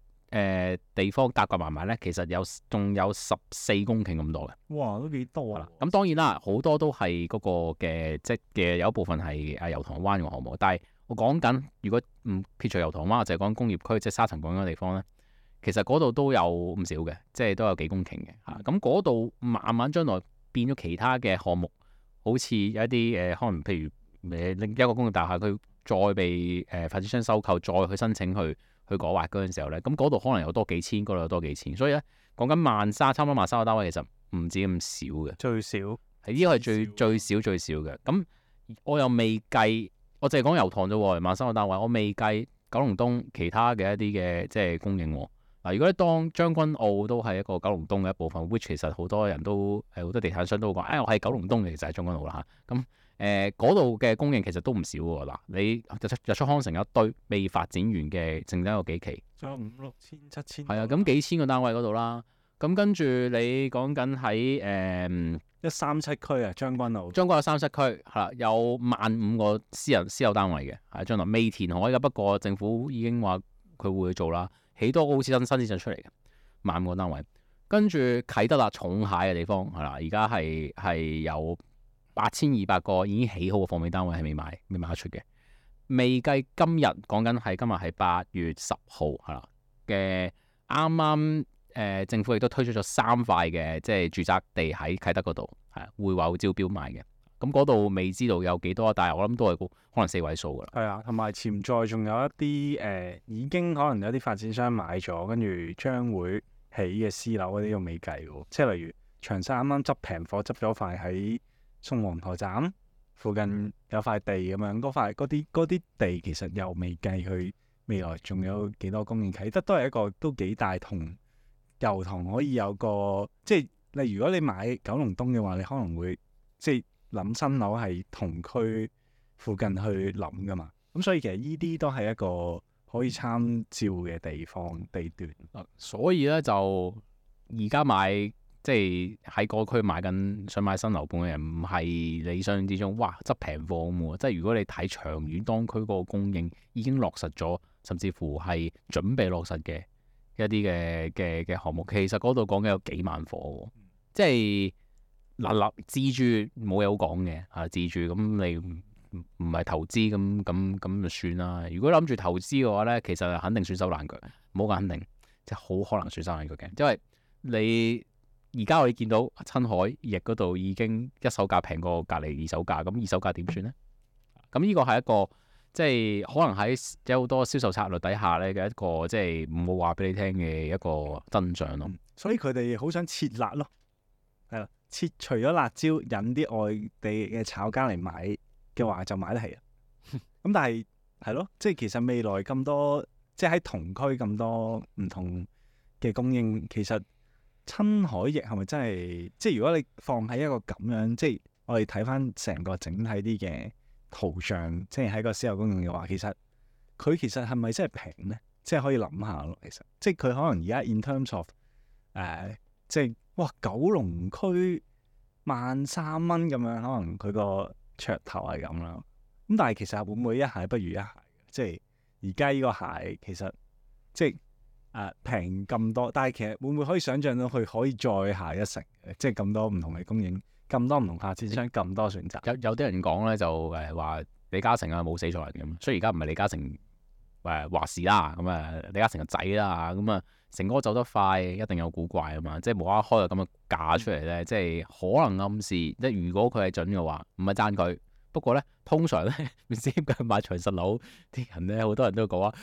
地方夾埋埋咧，其實仲有14公頃咁多嘅。哇，都幾多啊！咁當然啦，好多都係嗰個嘅即嘅有一部分係油塘灣嘅項目，但係我講緊如果唔撇除油塘灣，就係講工業區即係沙層港嗰個地方咧，其實嗰度都有唔少嘅，即係都有幾公頃嘅嚇。咁嗰度慢慢將來變咗其他嘅項目，好似有一啲可能譬如另一個工業大廈，佢再被發展商收購，再去申請去改劃嗰陣時候咧，咁嗰度可能有多幾千，嗰度有多幾千，所以咧講緊差唔多13,000個單位，其實唔止咁少嘅，最少係呢個係最少嘅。咁我又未計，我淨係講油塘啫喎，13,000個單位，我未計九龍東其他嘅一啲嘅即係供應喎。嗱，如果你當將軍澳都係一個九龍東嘅一部分，which 其實好多人都好多地產商都會講，我係九龍東嘅，其實係將軍澳啦嚇。咁嗰度嘅供應其實都唔少喎。嗱，你日出康城一堆未發展完嘅，剩低有幾期，仲有5、6千、7千。係啊，咁幾千個單位嗰度啦。咁跟住你講緊喺137區啊，將軍澳有37區係啦，有15,000個私有單位嘅，係將來未填海嘅，不過政府已經話佢會去做啦，起多個好似新市鎮出嚟嘅15,000個單位。跟住啟德啦，重蟹嘅地方係啦，而家係有8,200個已經起好嘅貨尾單位係未賣得出嘅，未計今日講緊係今日係8月10號係啦嘅啱啱政府亦都推出咗3塊嘅即係住宅地喺啟德嗰度係會話會招標賣嘅，咁嗰度未知道有幾多，但係我諗都係可能4位數㗎啦。係啊，同埋潛在仲有一啲已經可能有啲發展商買咗，跟住將會起嘅私樓嗰啲都未計喎，即係例如長沙啱啱執平貨執咗塊喺宋皇臺站附近有塊地咁樣，嗰啲地其實又未計佢未來仲有幾多供應，啟德都係一個都幾大同油塘可以有個即係，例如如果你買九龍東嘅話，你可能會即係諗新樓係同區附近去諗噶嘛，咁所以其實呢啲都係一個可以參照嘅地段。所以咧就而家買即係喺嗰區想買新樓盤嘅人，唔係理想之中，哇執平貨咁喎。即係如果你睇長遠，當區嗰個供應已經落實咗，甚至乎係準備落實嘅一啲嘅項目，其實嗰度講緊有幾萬貨喎。即係嗱自住冇嘢好講嘅嚇，自住咁你唔係投資咁就算啦。如果諗住投資嘅話咧，其實肯定損手爛腳，唔好講肯定，即係好可能損手爛腳嘅，因為你。而家我哋見到親海翼嗰度已經一手價平過隔離二手價，咁二手價點算呢？咁呢個係一個即係可能喺有好多銷售策略底下咧嘅一個即係唔好話俾你聽嘅一個真相咯。所以佢哋好想撤辣咯，係啦，撤除咗辣椒，引啲外地嘅炒家嚟買嘅話就買得起啊。咁但係係咯，即係其實未來咁多，即係喺同區咁多唔同嘅供應，其實。親海翼係咪真係？即係如果你放喺一個咁樣，即係我哋睇翻成個整體啲嘅圖像，即係喺個私有供應嘅話，其實係咪真係平咧？即係可以諗下咯。其實即係佢可能而家 in terms of 即係哇九龍區13,000蚊咁樣，可能佢個噱頭係咁啦。咁但係其實會唔會一蟹不如一蟹？即係而家呢個蟹其實即係。平咁多，但係其實會唔會可以想像到佢可以再下一城？即係咁多唔同嘅供應，咁多唔同發展商，咁多選擇。有啲人講咧就話李嘉誠啊冇死錯人咁，所以而家唔係李嘉誠話事啦，咁李嘉誠個仔啦，咁成哥走得快一定有古怪啊嘛，即係無啦啦開個咁嘅價出嚟咧，即係可能暗示即係如果佢係準嘅話，唔係讚佢。不過咧，通常咧唔知點解買長實樓啲人咧，好多人都講話。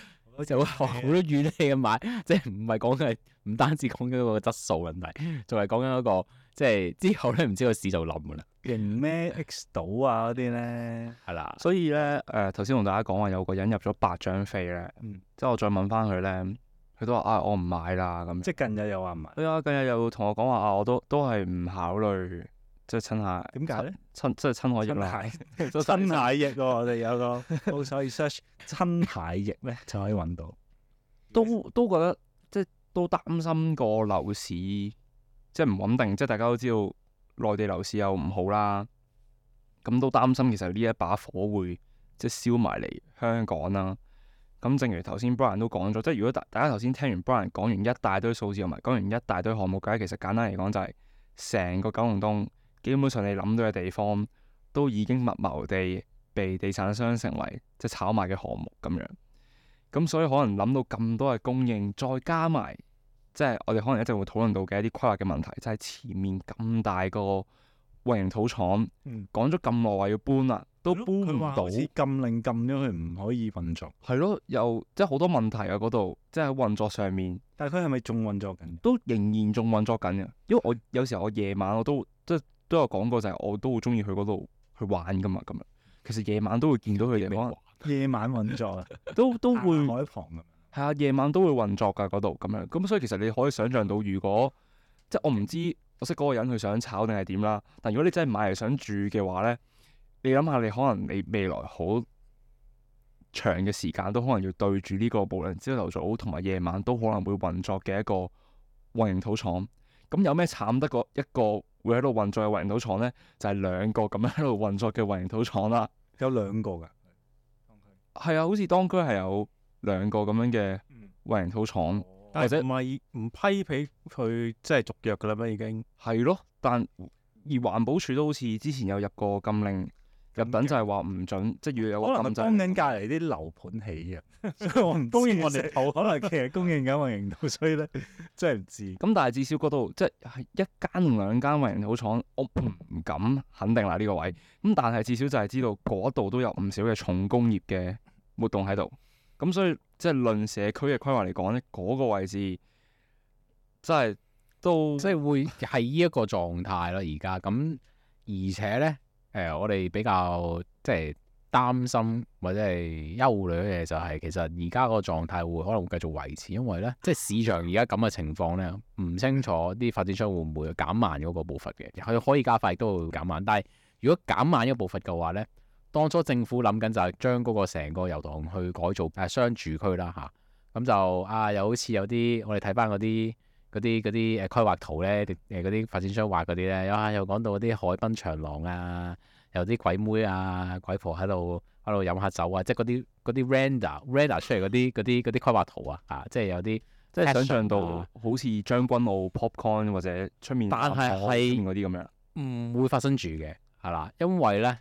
就會好多怨氣咁買，即係唔係講緊唔單止講緊嗰個質素問題，仲係講緊嗰個即係之後咧唔知個市就冧噶啦，型咩 X 島啊嗰啲咧，係啦。所以咧頭先同大家講話有個人入咗8張飛咧，即係我再問翻佢咧，佢都話我唔買啦咁。即係近日又話唔買。係啊，近日又同我講話我都係唔考慮，即係親下。點解咧？即係親海翼啦。親蟹翼喎，我哋有個都可以 search 親蟹翼咧就可以揾到。都覺得即係都擔心個樓市即係唔穩定，即係大家都知道內地樓市又唔好啦，咁都擔心其實呢一把火會即係燒埋嚟香港啦。咁正如頭先 Brian 都講咗，即係如果大家頭先聽完 Brian 講完一大堆數字同埋講完一大堆項目嘅，其實簡單嚟講就係成個九龍東基本上你諗到嘅地方都已經密謀地被地產商成為即係炒賣嘅項目咁樣。咁所以可能諗到咁多嘅供應，再加埋即係我哋可能一直會討論到嘅一啲規劃嘅問題，就係前面咁大個混凝土廠，講咗咁耐話要搬啦，都搬唔到，好似禁令禁咗佢唔可以運作。係咯，又即係好多問題啊嗰度，即係喺運作上面。但係佢係咪仲運作緊？都仍然仲運作緊嘅，因為我有時候我夜晚我都即係都有講過，就係我都會中意去嗰度去玩噶嘛咁樣。其實夜晚都會見到佢哋可能夜晚運作啊，都會海旁咁樣。係啊，夜晚都會運作㗎嗰度咁樣。咁所以其實你可以想像到，如果即係我唔知我識嗰個人佢想炒定係點啦。但如果你真係買嚟想住嘅話咧，你諗下你可能你未來好長嘅時間都可能要對住呢個無論朝頭早同埋夜晚都可能會運作嘅一個混凝土廠。咁有咩慘得過一個會喺度運作嘅混凝土廠咧？就係兩個咁樣喺度運作嘅混凝土廠啦。有兩個㗎。係啊，好似當區係有兩個咁樣嘅混凝土廠，或者唔係唔批俾佢即係續約㗎啦咩已經？係咯，但而環保署都好似之前有入過禁令，入稟就係話唔準，即係要有個可能禁制。幫緊隔離啲樓盤起嘅，所以我唔供應我哋土，可能其實供應緊混凝土，所以咧真係唔知。咁但係至少嗰度即係一間同兩間混凝土廠，我唔敢肯定啦呢個位。咁但係至少就係知道嗰度都有唔少嘅重工業嘅活動喺度。咁所以即係論社區嘅規劃嚟講咧，嗰個位置真係都即係會係呢一個狀態咯，而家咁，而且咧我哋比較即係擔心或者係憂慮嘅嘢就係，其實而家個狀態會可能會繼續維持，因為咧即係市場而家咁嘅情況咧，唔清楚啲發展商會唔會減慢嗰個步伐嘅，佢可以加快都會減慢，但係如果減慢一個步伐嘅話咧，當初政府諗緊就係將嗰個成個油塘去改造商住區啦嚇，咁就又好似有啲我哋睇翻嗰啲規劃圖咧，嗰啲發展商畫嗰啲咧，又講到嗰啲海濱長廊啊，有啲鬼妹啊鬼婆喺度飲下酒啊，即係嗰啲 render 出嚟嗰啲規劃圖啊，即係有啲即係想像到好似將軍澳 popcorn 或者出面但係嗰啲咁樣，唔會發生住嘅係啦，因為咧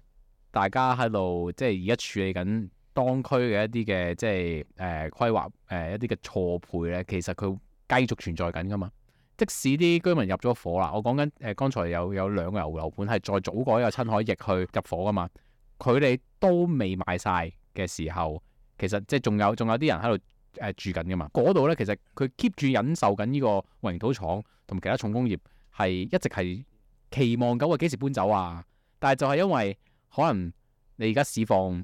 大家喺度即係而家處理緊當區嘅一啲嘅即係規劃一啲嘅錯配咧，其實佢繼續存在緊噶嘛。即使啲居民入咗伙啦，我講緊剛才有兩個樓盤係再早過一個親海翼去入伙噶嘛，佢哋都未賣晒嘅時候，其實即係仲有啲人喺度住緊噶嘛。嗰度咧其實佢 keep 住忍受緊呢個混凝土廠同其他重工業係一直係期望緊話幾時搬走啊，但係就係因為可能你而家市況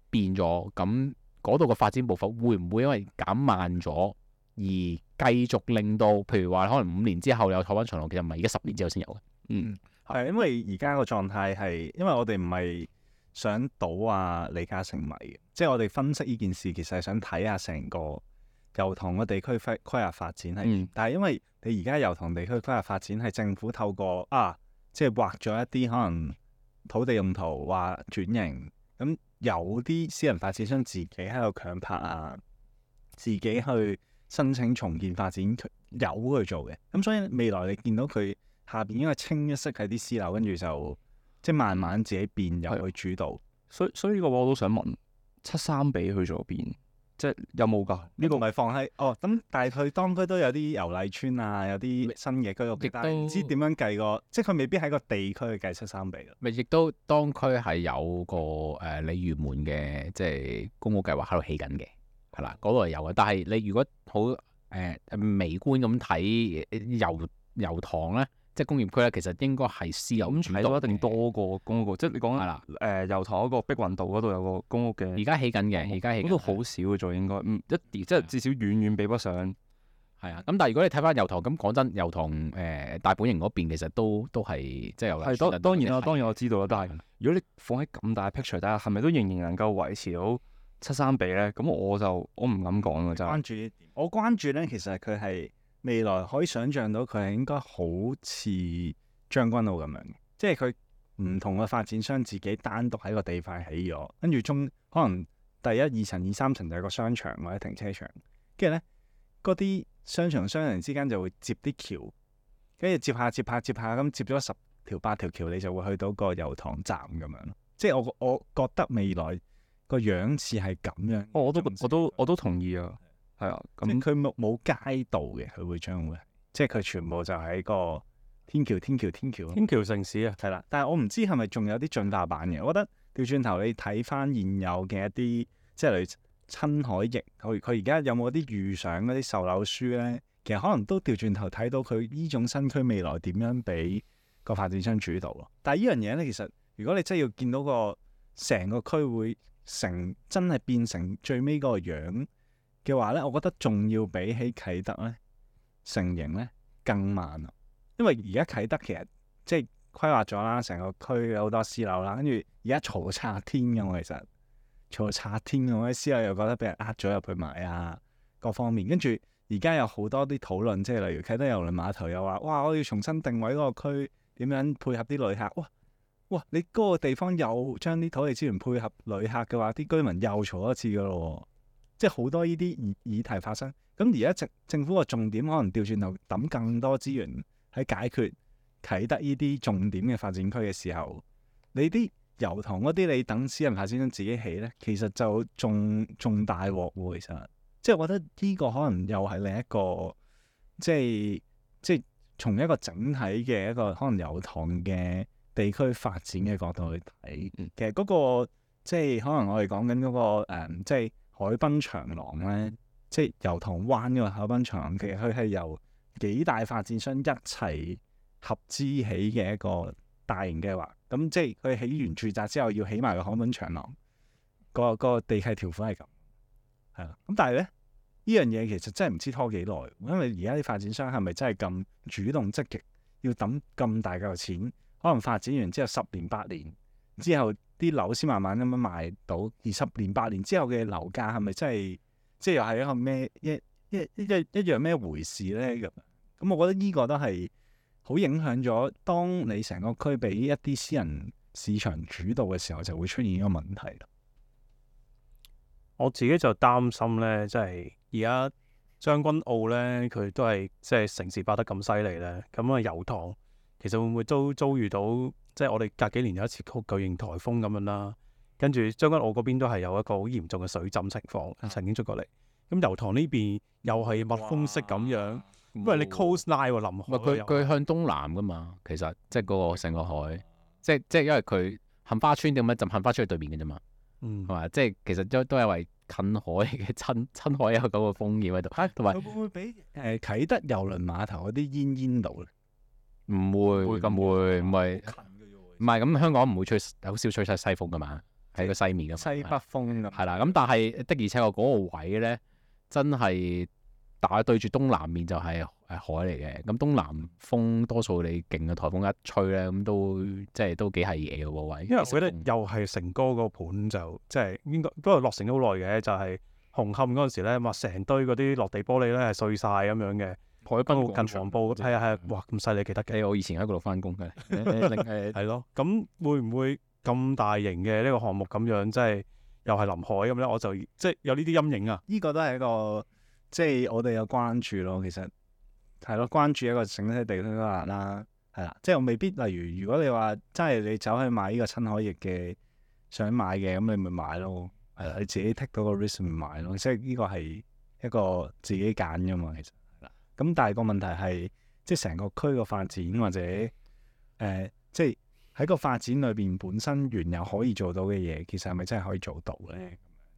變咗，咁嗰度嘅發展步伐會唔會因為減慢咗而繼續令到，譬如話可能5年之後有海濱長廊，其實唔係而家10年之後先有嘅。係因為而家個狀態係，因為我哋唔係想倒李嘉誠米嘅，即係我哋分析呢件事，其實係想睇下成個油塘嘅地區規劃發展係。但係因為你而家油塘地區規劃發展係政府透過即係劃咗一啲可能土地用途話轉型，咁有啲私人發展商自己喺度強拍自己去申請重建發展，有去做嘅。咁所以未來你見到佢下邊應該清一色係啲私樓，跟住就即係慢慢自己變入去主導。所以呢個我都想問，73比去咗邊？即係有冇㗎？呢個唔係放喺咁，但係佢當區都有啲油麗村啊，有啲新嘅居屋，但係唔知點樣計個，即係佢未必喺個地區去計73比㗎。咪亦都當區係有個鯉魚門嘅即係公屋計劃喺度起緊嘅。係啦，嗰度係有嘅。但係你如果好微觀咁睇油塘咧，即係工業區咧，其實應該係私有咁主導嘅睇到一定多過公屋，即係你講係啦。油塘嗰個碧雲道嗰度有個公屋嘅，而家起緊嘅，而家起緊嗰度好少嘅啫，應該一啲即係至少遠遠比不上。係啊。咁但係如果你睇翻油塘，咁講真，油塘大本營嗰邊其實都係即係有係當然啦，當然我知道啦。但係係如果你放喺咁大 picture 底下，係咪都仍然能夠維持到7:3比咧？咁我唔敢講㗎真係。關注呢點，我關注咧，其實佢係未來可以想像到佢係應該好似將軍澳咁樣嘅，即係佢唔同嘅發展商自己單獨喺個地塊起咗，跟住可能第一、2層、2、3層就係個商場或者停車場，跟住咧嗰啲商場商人之間就會接啲橋，跟住接下咁接咗10條8條橋，你就會去到個油塘站咁樣咯。即係我覺得未來個樣似係咁樣。我都同意啊，係啊，即係咁佢冇街道嘅，佢會將會，即係佢全部就喺個天橋天橋城市啊，係啦。但係我唔知係咪仲有啲進化版嘅。我覺得調轉頭你睇翻現有嘅一啲，即係例如親海翼，佢而家有冇啲遇上嗰啲售樓書咧？其實可能都調轉頭睇到佢呢種新區未來點樣俾個發展商主導咯。但係呢樣嘢咧，其實如果你真係要見到個成個區會真係變成最尾嗰個樣嘅話咧，我覺得仲要比起啟德咧成型咧更慢啊！因為而家啟德其實即係規劃咗啦，成個區有好多私樓啦，跟住而家嘈到拆天嘅喎，其實嘈到拆天嘅喎，啲私樓又覺得俾人呃咗入去買啊，各方面。跟住而家有好多啲討論，即係例如啟德郵輪碼頭又話，哇！我要重新定位嗰個區，點樣配合啲旅客？哇！你嗰個地方又將啲土地資源配合旅客嘅話，啲居民又嘈一次噶咯，即係好多呢啲議題發生。咁而家政府個重點可能調轉頭抌更多資源喺解決啟德呢啲重點嘅發展區嘅時候，你啲油塘嗰啲你等私人發展商自己起咧，其實就仲大鑊喎。其實即係我覺得呢個可能又係另一個即係從一個整體嘅一個可能油塘嘅地區發展嘅角度去睇，其實嗰個即係可能我哋講緊嗰個即係海濱長廊咧，即係油塘灣嗰個海濱長廊，其實佢係由幾大發展商一齊合資起嘅一個大型計劃。咁即係佢起完住宅之後，要起埋個海濱長廊，個地契條款係咁，係啦。咁但係咧，呢樣嘢其實真係唔知拖幾耐，因為而家啲發展商係咪真係咁主動積極，要抌咁大嚿錢？可能發展完之後10年8年之後，啲樓先慢慢咁樣賣到。而10年8年之後嘅樓價係咪真係即係又係一個咩一樣咩回事咧？咁我覺得呢個都係好影響咗，當你成個區俾一啲私人市場主導嘅時候，就會出現呢個問題啦。我自己就擔心咧，即係而家將軍澳咧，佢都係即係城市化得咁犀利咧，咁啊油塘其實會唔會都遭遇到即係我哋隔幾年有一次巨型颱風咁樣啦，跟住將軍澳嗰邊都係有一個好嚴重嘅水浸情況曾經出過嚟。咁油塘呢邊又係蜜蜂式咁樣，因為你 coastline 喎，臨海佢向東南噶嘛，其實即係嗰個成個海，即係因為佢杏花村點樣就杏花村喺對面嘅啫嘛，係嘛？即係其實都係因為近海嘅親海有嗰個風險喺度，同埋會唔會俾啟德郵輪碼頭嗰啲煙到咧？唔會咁會唔係咁香港唔會好少吹晒西風噶嘛，喺個西面噶嘛，西北風咁係啦。咁但係的而且確嗰個位咧，真係打對住東南面就係海嚟嘅。咁東南風多數你勁嘅颱風一吹咧，咁都幾係嘢嘅喎位。因為我覺得又係成哥個盤就即係應該都係落成咗好耐嘅，就係紅磡嗰陣時咧，成堆嗰啲落地玻璃咧係碎晒咁樣嘅。海濱近黃埔係啊，哇咁犀利記得嘅。我以前喺嗰度翻工嘅，係咯。咁會唔會咁大型嘅呢個項目咁樣，即係又係臨海咁咧？我就即係有呢啲陰影啊。呢個都係一個即係我哋有關注咯。其實係咯，關注一個整體地區規劃啦，係啦。即係我未必例如果你話真係你走去買呢個親海翼嘅想買嘅，咁你咪買咯。係啦，你自己 take 到個 risk 咪買咯。即係呢個係一個自己揀㗎嘛，其實。咁但係個問題係，即係成個區個發展或者即係喺個發展裏邊本身原有可以做到嘅嘢，其實係咪真係可以做到咧？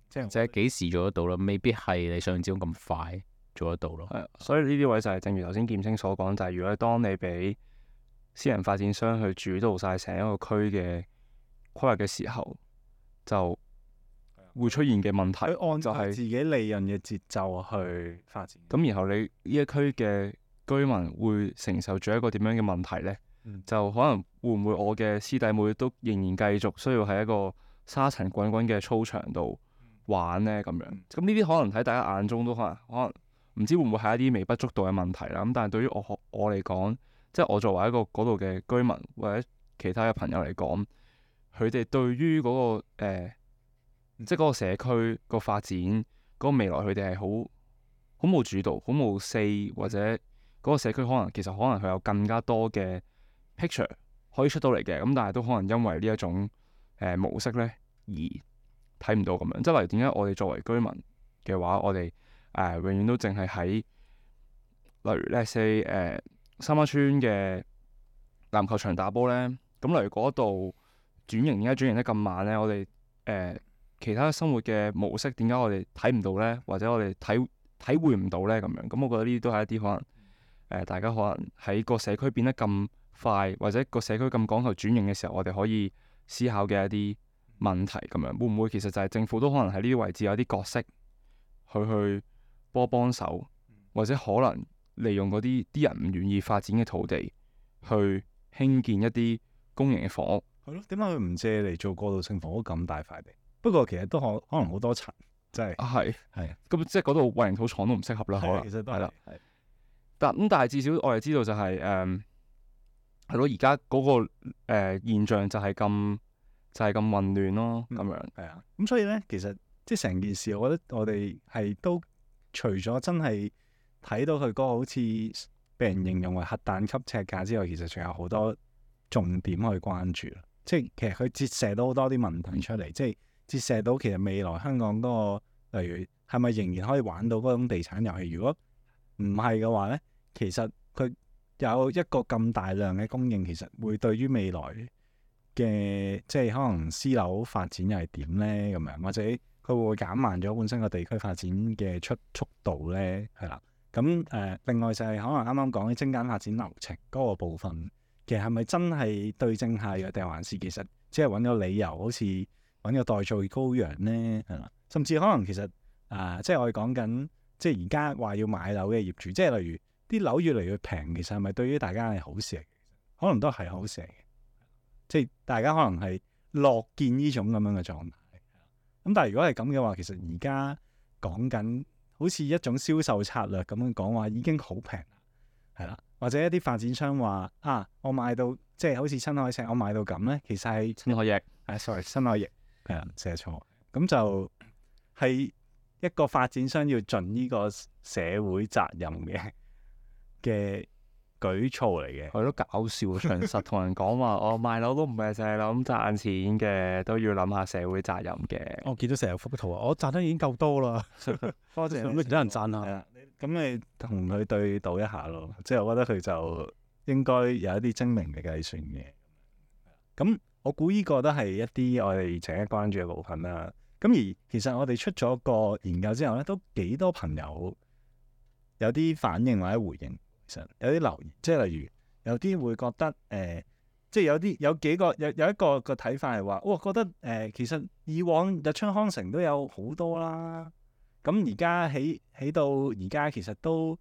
即係即係幾時做得到啦？未必係你想象之中咁快做得到咯。係啊，所以呢啲位就係正如頭先劍青所講，就係如果當你俾私人發展商去主導晒成一個區嘅規劃嘅時候，就會出現嘅問題佢按就係自己利潤嘅節奏去發展。咁，然後你呢一區嘅居民會承受住一個點樣嘅問題呢？就可能會唔會我嘅師弟妹都仍然繼續需要喺一個沙塵滾滾嘅操場度玩呢？咁樣？咁呢啲可能喺大家眼中都可能唔知會唔會係一啲微不足道嘅問題啦。咁但係對於我嚟講，即係我作為一個嗰度嘅居民或者其他嘅朋友嚟講，佢哋對於嗰個即係嗰個社區個發展嗰個未來，佢哋係好冇主導，好冇 say，或者嗰個社區其實可能佢有更加多嘅 picture 可以出到嚟嘅，咁但係都可能因為呢一種模式咧而睇唔到咁樣。即係例如點解我哋作為居民嘅話，我哋永遠都淨係喺例如 let's say 三灣村嘅籃球場打波咧，咁例如嗰度點解轉型得咁慢咧？我哋其他生活嘅模式點解我哋睇唔到咧？或者我哋體會唔到咧？咁樣，咁我覺得呢啲都係一啲可能大家可能喺個社區變得咁快，或者個社區咁講求轉型嘅時候，我哋可以思考嘅一啲問題咁樣，會唔會其實就係政府都可能喺呢啲位置有啲角色去幫手，或者可能利用嗰啲人唔願意發展嘅土地去興建一啲公營嘅房屋。係咯，點解佢唔借嚟做過渡性房屋咁大塊地？不過其實都可能好多層，真係係係咁，即係嗰度混凝土廠都唔適合啦，可能其實都係啦。係但係至少我哋知道就係係咯，而家嗰個現象就係咁混亂咯，咁樣係啊。咁所以咧，其實即係成件事，我覺得我哋係都除咗真係睇到佢嗰個好似被人形容為核彈級尺價之外，其實仲有好多重點去關注啦。即係其實佢折射到好多啲問題出嚟，即係折射到其實未來香港嗰個，例如係咪仍然可以玩到嗰種地產遊戲？如果唔係嘅話咧，其實佢有一個咁大量嘅供應，其實會對於未來嘅即係可能私樓發展又係點咧？咁樣或者佢會唔會減慢咗本身個地區發展嘅速度咧？係啦。咁另外就係可能啱啱講嘅精簡發展流程嗰個部分，其實係咪真係對症下藥，定還是其實只係揾個理由，好似揾個代罪羔羊咧？係啦，甚至可能其實即係我哋講緊，即係而家話要買樓嘅業主，即係例如啲樓越嚟越平，其實係咪對於大家係好事嚟嘅？可能都係好事嚟嘅，即係大家可能係樂見呢種咁樣嘅狀態。咁但係如果係咁嘅話，其實而家講緊好似一種銷售策略咁樣講話已經好平啦，係啦，或者一啲發展商話我買到即係好似新海誠，我買到咁咧，其實係新海翼，sorry， 新海翼係啦，寫錯，咁就係一個發展商要盡呢個社會責任嘅舉措嚟嘅。係咯，搞笑，長實同人講話，我賣樓都唔係淨係諗賺錢嘅，都要諗下社會責任嘅。我見到成日幅圖啊，我賺得已經夠多啦，多謝咁其他人讚下。係啦，咁你同佢對賭一下咯，即係我覺得佢就應該有一啲精明嘅計算嘅。咁我估呢個都係一啲我哋值得關注嘅部分啦。咁而其實我哋出咗個研究之後咧，都幾多朋友有啲反應或者回應。其實有啲留言，即係例如有啲會覺得即係有幾個有一個個睇法係話，覺得其實以往日出康城都有好多啦，咁而家起到而家其實都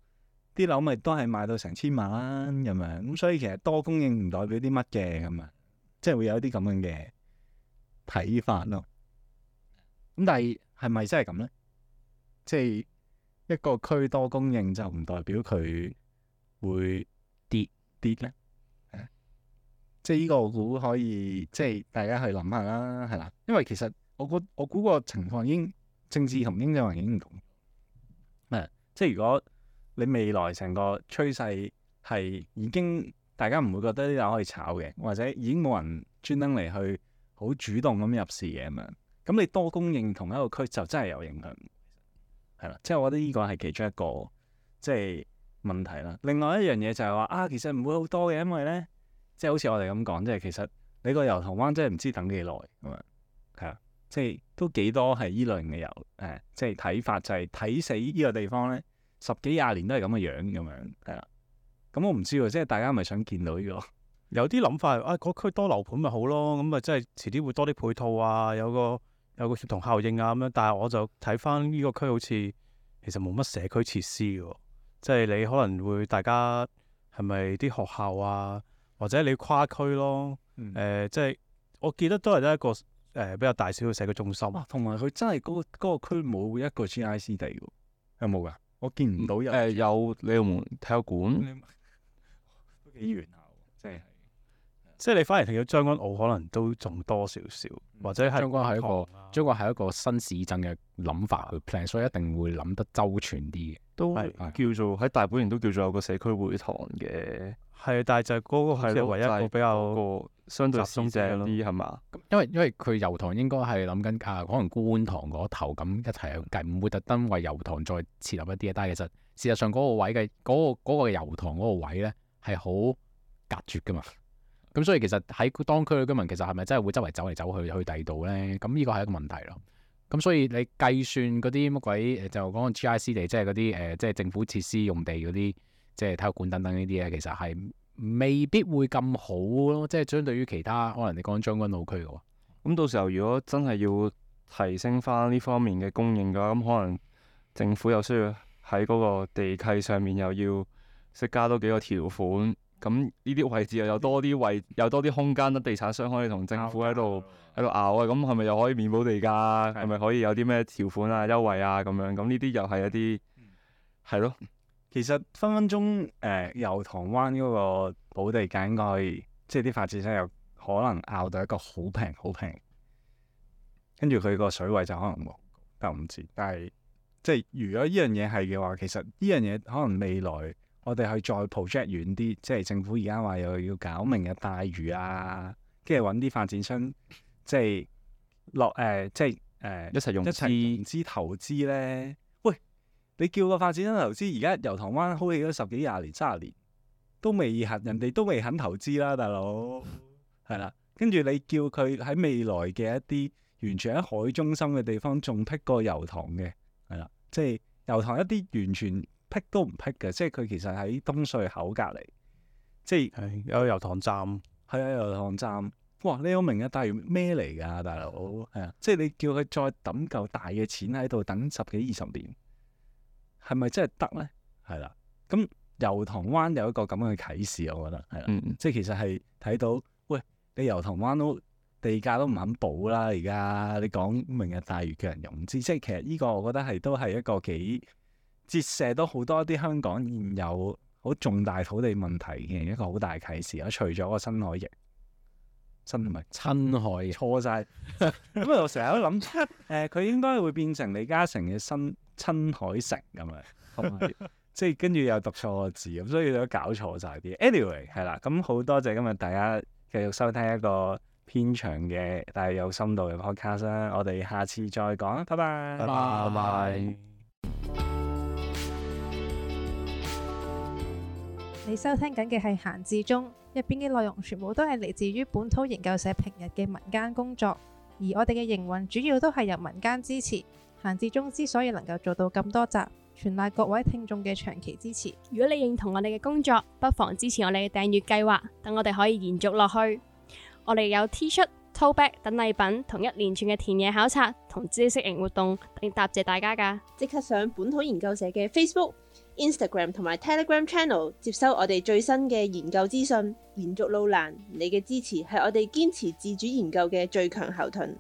啲樓咪都係賣到成千萬咁樣，咁所以其實多供應唔代表啲乜嘅咁啊，即係會有啲咁樣嘅睇法咯。咁但係咪真係咁咧？即係一個區多供應就唔代表佢會跌咧？即係呢個我估可以，即係大家去諗下啦，係啦。因為其實我估個情況已經政治同經濟環境唔同。即係如果你未來成個趨勢係已經大家唔會覺得呢樓可以炒嘅，或者已經冇人專登嚟去好主動咁入市嘅咁樣，咁你多供應同一個區就真係有影響，係啦。即係我覺得呢個係其中一個即係問題啦。另外一樣嘢就係話其實唔會好多嘅，因為咧，即係好似我哋咁講，即係其實你個油塘灣真係唔知等幾耐咁樣，係啊。即係都幾多係依類型嘅即係睇法，就係睇死呢個地方咧10幾20年都係咁嘅樣咁樣，係啦。咁我唔知喎，即係大家係咪想見到呢個？有啲諗法嗰區多樓盤咪好咯，咁啊即係遲啲會多啲配套啊，有個協同效應啊咁樣。但係我就睇翻呢個區好似其實冇乜社區設施嘅喎，即係你可能會大家係咪啲學校啊，或者你跨區咯，即係我記得都係得一個比較大小嘅社區中心。同埋佢真係嗰個區冇一個 GIC 地喎，有冇㗎？我見唔到有。有鯉魚門體育館，都幾遠下喎，即係你反而睇到將軍澳可能都仲多少少，或者係將軍係一個新市鎮嘅諗法去 plan，所以一定會諗得周全啲嘅。都係叫做喺大本營都叫做有個社區會堂嘅。係，但係就係嗰個係唯一一個比較個相對集中正啲啲係嘛？因為佢油塘應該係諗緊可能觀塘嗰頭咁一齊去計，唔會特登為油塘再設立一啲嘢。但係其實事實上嗰個位嘅嗰個油塘嗰個位咧係好隔絕噶嘛。咁所以其實喺當區嘅居民其實係咪真係會周圍走嚟走去第二度咧？咁呢個係一個問題咯。咁所以你計算嗰啲乜鬼就講 GIC 地，即係嗰啲即係政府設施用地嗰啲，即係體育館等等呢啲咧，其實係未必會咁好咯。即係相對於其他可能你講將軍澳區嘅話，咁到時候如果真係要提升翻呢方面嘅供應嘅話，咁可能政府又需要喺嗰個地契上面又要識加多幾個條款。咁呢啲位置又有多啲空間，得地產商可以同政府喺度拗啊！咁係咪又可以免補地價？係咪可以有啲咩條款啊、優惠啊咁樣？咁呢啲又係一啲係咯。其實分分鐘油塘灣嗰個補地價應該即係啲發展商有可能拗到一個好平，跟住佢個水位就可能冇，但我唔知。但係即係如果呢樣嘢係嘅話，其實呢樣嘢可能未來。我哋去再 project 遠啲，即係政府而家話又要搞明日大嶼啊，跟住揾啲發展商，即係一齊融資投資咧。喂，你叫個發展商投資，而家油塘灣好起咗10幾20年、30年，都未人哋都未肯投資啦，大佬係啦。跟住你叫佢喺未來嘅一啲完全喺海中心嘅地方，仲辟過油塘嘅，係啦，即係油塘一啲完全。辟都唔辟嘅，即係佢其實喺東隧口隔離，即係有油塘站，係啊，油塘站。哇！你有明日大嶼咩嚟㗎，大佬？係啊，即係你叫佢再抌嚿大嘅錢喺度等10幾20年，係咪真係得咧？係啦，咁油塘灣有一個咁樣嘅啟示，我覺得係啦，即係其實係睇到，喂，你油塘灣都地價都唔肯補啦，而家你講明日大嶼叫人融資，即係其實呢個我覺得都係一個幾折射到好多啲香港現有好重大土地問題嘅一個好大啟示啦。除咗個新海翼，真係咪親海錯晒？咁我成日都諗，佢應該會變成李嘉誠嘅新親海城咁樣，即係跟住又讀錯個字，咁所以都搞錯晒啲。Anyway 係啦，咁好多謝今日大家繼續收聽一個偏長嘅但係有深度嘅 podcast 啦。我哋下次再講，拜拜，拜拜。你收聽緊嘅係閒置中，入邊嘅內容全部都係嚟自於本土研究社平日嘅民間工作，而我哋嘅營運主要都係由民間支持。閒置中之所以能夠做到咁多集，全賴各位聽眾嘅長期支持。如果你認同我哋嘅工作，不妨支持我哋嘅訂閱計劃，等我哋可以延續落去。我哋有 T 恤、tote bag 等禮品，同一連串嘅田野考察同知識型活動，嚟答謝大家㗎。即刻上本土研究社嘅 Facebook、Instagram 同埋 Telegram Channel 接收我哋最新嘅研究資訊。延續路難，你嘅支持係我哋堅持自主研究嘅最強後盾。